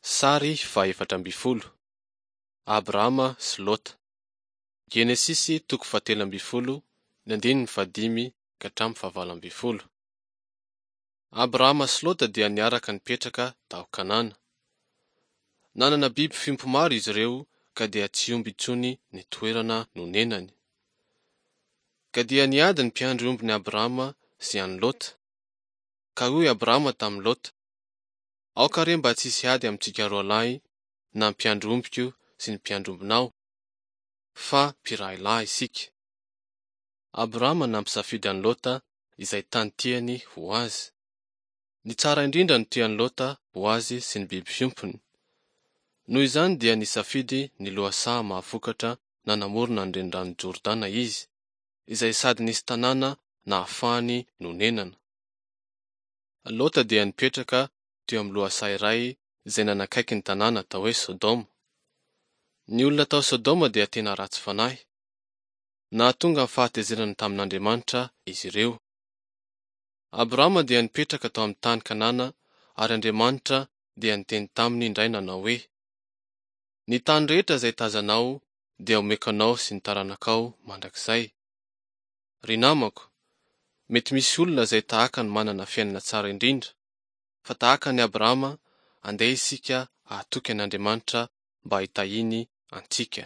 Sary faha 14. Abrahama sy Lota. Genesisy toko fahatelo ambin'ny folo, ny andininy fahadimy ka hatramin'ny fahavalo ambin'ny folo. Abrahama sy Lota dia niaraka nipetraka tao Kanana. Nanana biby fiompy maro izy ireo ka dia tsy omby intsony ny toerana nonenany. Ka dia niady ny mpiandry ombin'i Abrahama sy an'i Lota. Ka hoy Abrahama tamin'i Lota, Aoka re mba tsy hisy ady amintsika roa lahy na ny mpiandry ombiko sy ny mpiandry ombinao, fa mpirahilahy isika. Abrahama nampisafidy an'i Lota izay tany tiany ho azy. Ny tsara indrindra no tian'i Lota ho azy sy ny biby fiompiny. Noho izany dia nisafidy ny lohasaha mahavokatra nanamorona ny reniranon'i Jordana izy, izay sady nisy tanàna nahafahany nonenana. Lota dia nipetraka teo amin'ny lohasaha iray izay nanakaiky ny tanàna atao hoe Sodoma. Ny olona tao Sodoma dia tena ratsy fanahy. Nahatonga ny fahatezerana tamin'Andriamanitra izy ireo. Abrahama dia nipetraka tao amin'ny tany Kanana ary Andriamanitra dia niteny taminy indray nanao hoe, Ny tany rehetra izay tazanao dia omeko anao sy ny taranakao mandrakizay. Ry namako, mety misy olona izay tahaka ny manana fiainana tsara indrindra, fa tahaka an'i Abrahama, andeha isika hahatoky an'Andriamanitra mba hitahiany antsika.